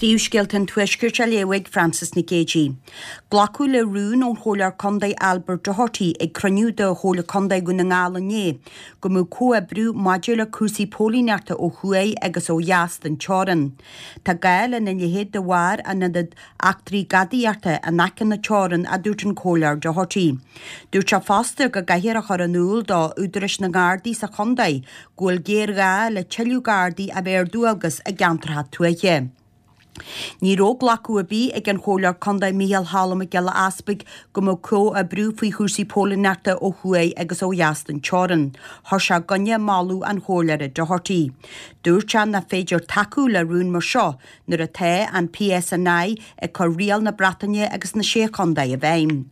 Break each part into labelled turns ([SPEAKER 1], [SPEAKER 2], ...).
[SPEAKER 1] Príomhscéalta an Tuaiscirt á léamh ag Frances Nic Géadaigh. Glacadh le rún ón Chomhairleoir Contae Albert Doherty ag cruinniú de Chomhairle Contae Dhún na nGall inné go mbeadh comhoibriú maidir le cúrsaí póilíneachta ó thuaidh agus ó dheas den teorann. Tá gá lena leithéid de bharr an ionad eachtraí gadaíochta in aice na teorann, a dúirt an Comhairleoir Doherty. Dúirt sé fosta go gcaithfear a chur in iúl do údaráis na nGardaí sa chontae go bhfuil géarghá le tuilleadh Gardaí a bheith ar dualgas i gceantracha tuaithe. Ní raibh glacadh ar bith ag an Chomhairleoir Contae Micheál Choilm Mac Giolla Easpaig go mbeadh comhoibriú faoi chúrsaí póilíneachta ó thuaidh agus ó dheas den teorann. Chuir sé i gcoinne moladh an Chomhairleora Doherty. Dúirt sé nach féidir tacú le rún mar seo nuair atá an PSNI ag cur riail na Breataine agus na Sé Chontae i bhfeidhm.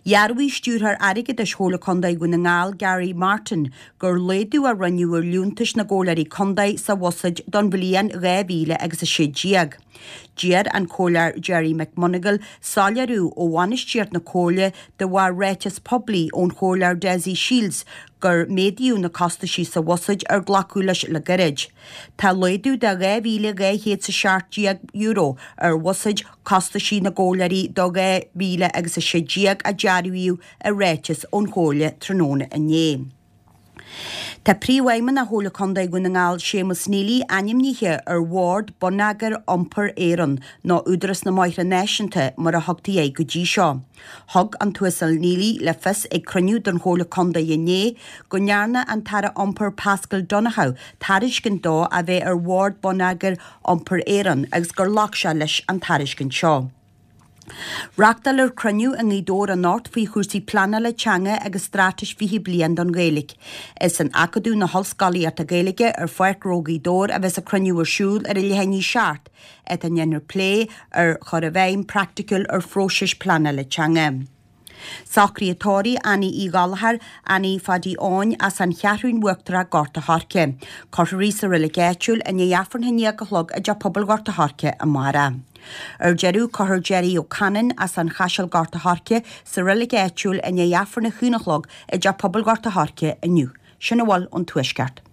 [SPEAKER 1] Dhearbhaigh Stiúrthóir Airgeadais Chomhairle Contae Dhún na nGall, Gary Martin, gur laghdú a rinneadh ar liúntais na gComhairleoirí Contae sa bhuiséad don bhliain 2000 agus 16. D'iarr an Comhairleoir Gerry McMonagle soiléiriú ó bhainistíocht na Comhairle de bharr ráiteas poiblí ón Chomhairleoir Dessie Shiels gur méadaíodh na costaisí sa bhuiséad ar glacadh leis le gairid. Tá laghdú de €2,217 ar bhuiséad costaisí na gComhairleoirí do 2000 agus 16 a dearbhaíodh i ráiteas ón Chomhairle tráthnóna inné. Tá Príomhfheidhmeannach Chomhairle Contae Dhún na nGall Séamus Neely ainmnithe ar Bhord Bonneagair Iompair Éireann, nó Údarás na mBóithre Náisiúnta mar a thugtaí air go dtí seo. Thug an tUasal Neely le fios ag cruinniú den Chomhairle Contae inné go ndearna an tAire Iompair Paschal Donohoe tairiscint dó a bheith ar Bhord Bonneagair Iompair Éireann agus gur ghlac sé leis an tairiscint seo. Reáchtálfar cruinniú i nGaoth Dobhair anocht faoi chúrsaí pleanála teanga agus Straitéis 20 Bliain don Ghaeilge. Is in Acadamh na hOllscolaíochta Gaeilge ar Pháirc Ghnó Ghaoth Dobhair a bheas an cruinniú ar siúl ar a leath i ndiaidh 7, áit a ndéanfar plé ar chur i bhfeidhm praiticiúil ar phróisis pleanála teanga. Socruithe tórraimh Annie Uí Ghallchóir, Annie Phaidí Eoin as an Cheathrún Uachtarach Gort a' Choirce. Cuirfear í sa reilig áitiúil i ndiaidh Aifreann a haon déag a chlog i dTeach Pobail Ghort a' Choirce amárach. Ar deireadh, cuirfear Gerry Ó Canainn as an Chaiseal Gort a' Choirce sa reilig áitiúil i ndiaidh Aifreann a haon a chlog i dTeach Pobail Ghort a' Choirce inniu. Sin a bhfuil ón Tuaisceart.